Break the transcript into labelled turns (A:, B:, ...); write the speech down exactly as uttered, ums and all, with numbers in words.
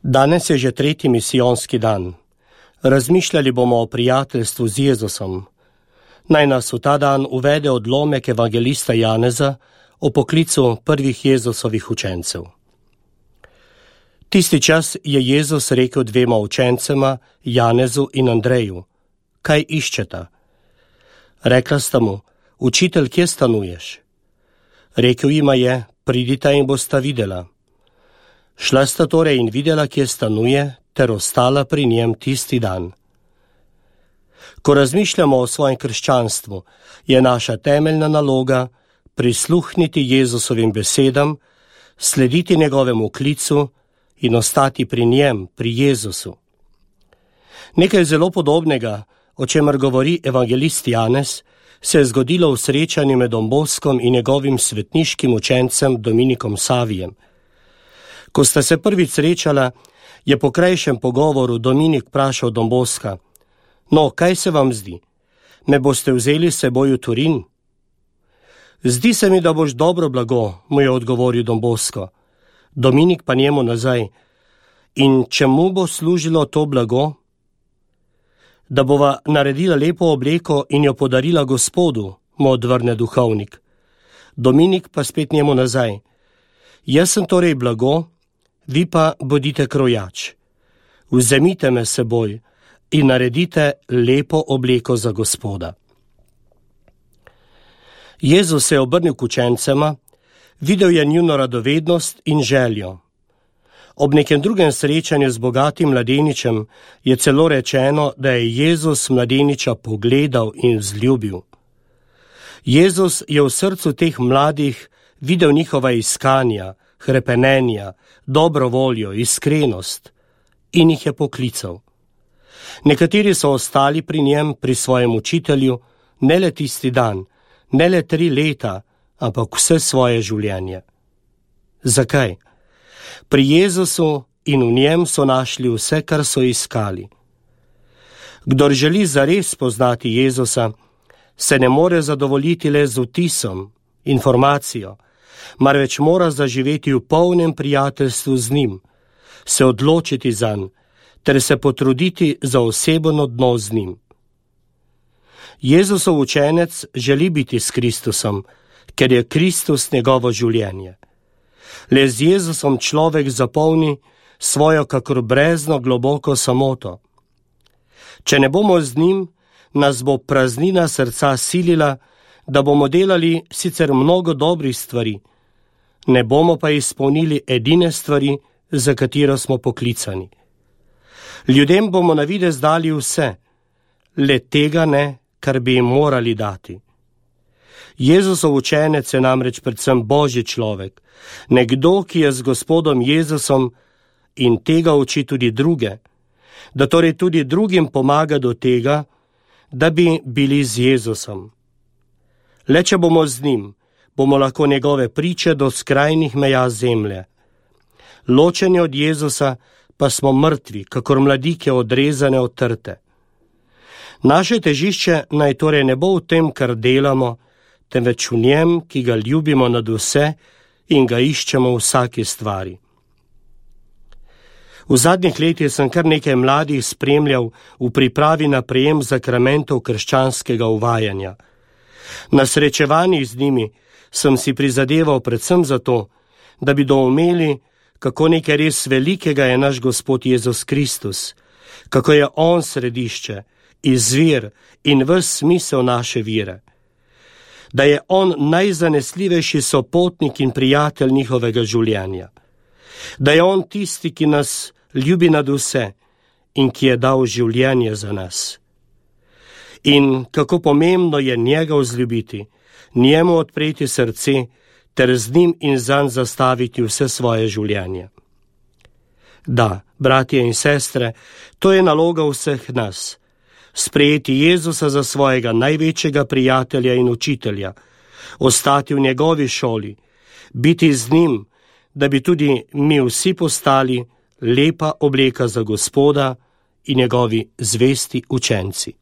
A: Danes je že tretji misijonski dan. Razmišljali bomo o prijateljstvu z Jezusom. Naj nas v ta dan uvede odlomek evangelista Janeza o poklicu prvih Jezusovih učencev. Tisti čas je Jezus rekel dvema učencema, Janezu in Andreju: kaj iščeta? Rekla sta mu: učitelj, kje stanuješ? Rekel jima je: pridita in bosta videla. Šla sta torej in videla, kje stanuje, ter ostala pri njem tisti dan. Ko razmišljamo o svojem krščanstvu, je naša temeljna naloga prisluhniti Jezusovim besedam, slediti njegovemu klicu in ostati pri njem, pri Jezusu. Nekaj zelo podobnega, o čemer govori evangelist Janez, se je zgodilo v srečanju med Don Boskom in njegovim svetniškim učencem Dominikom Savijem. Ko sta se prvič srečala, je po krajšem pogovoru Dominik vprašal Don Boska: no, kaj se vam zdi? Me boste vzeli s seboj v Turin? Zdi se mi, da boš dobro blago, mu je odgovoril Don Bosko. Dominik pa njemu nazaj: in čemu bo služilo to blago? Da bova naredila lepo obleko in jo podarila Gospodu, mu odvrne duhovnik. Dominik pa spet njemu nazaj: jaz sem torej blago, vi pa bodite krojač. Vzemite me seboj in naredite lepo obleko za Gospoda. Jezus se je obrnil k učencema, videl je njuno radovednost in željo. Ob nekem drugem srečanju z bogatim mladeničem je celo rečeno, da je Jezus mladeniča pogledal in vzljubil. Jezus je v srcu teh mladih videl njihova iskanja, hrepenenja, dobro voljo, iskrenost in jih je poklical. Nekateri so ostali pri njem, pri svojem učitelju, ne le tisti dan, ne le tri leta, ampak vse svoje življenje. Zakaj? Pri Jezusu in v njem so našli vse, kar so iskali. Kdor želi zares poznati Jezusa, se ne more zadovoljiti le z vtisom, informacijo, marveč mora zaživeti v polnem prijateljstvu z njim, se odločiti zanj, ter se potruditi za osebno odnos z njim. Jezusov učenec želi biti s Kristusom, ker je Kristus njegovo življenje. Le z Jezusom človek zapolni svojo kakor brezno globoko samoto. Če ne bomo z njim, nas bo praznina srca silila, da bomo delali sicer mnogo dobrih stvari, ne bomo pa izpolnili edine stvari, za katero smo poklicani. Ljudem bomo na videz dali vse, le tega ne, kar bi jim morali dati. Jezusov učenec je namreč predvsem Božji človek, nekdo, ki je z Gospodom Jezusom in tega uči tudi druge, da torej tudi drugim pomaga do tega, da bi bili z Jezusom. Le če bomo z njim, bomo lahko njegove priče do skrajnih meja zemlje. Ločeni od Jezusa pa smo mrtvi, kakor mladike odrezane od trte. Naše težišče naj torej ne bo v tem, kar delamo, temveč v njem, ki ga ljubimo nad vse in ga iščemo v vsaki stvari. V zadnjih letih sem kar nekaj mladih spremljal v pripravi na prejem zakramentov krščanskega uvajanja. Na srečevanjih z njimi sem si prizadeval predvsem zato, da bi doumeli, kako nekaj res velikega je naš Gospod Jezus Kristus, kako je on središče, izvir in ves smisel naše vire, da je on najzanesljivejši sopotnik in prijatelj njihovega življenja, da je on tisti, ki nas ljubi nad vse in ki je dal življenje za nas. In kako pomembno je njega vzljubiti, njemu odpreti srce, ter z njim in zanj zastaviti vse svoje življenje. Da, bratje in sestre, to je naloga vseh nas. Sprejeti Jezusa za svojega največjega prijatelja in učitelja, ostati v njegovi šoli, biti z njim, da bi tudi mi vsi postali lepa obleka za Gospoda in njegovi zvesti učenci.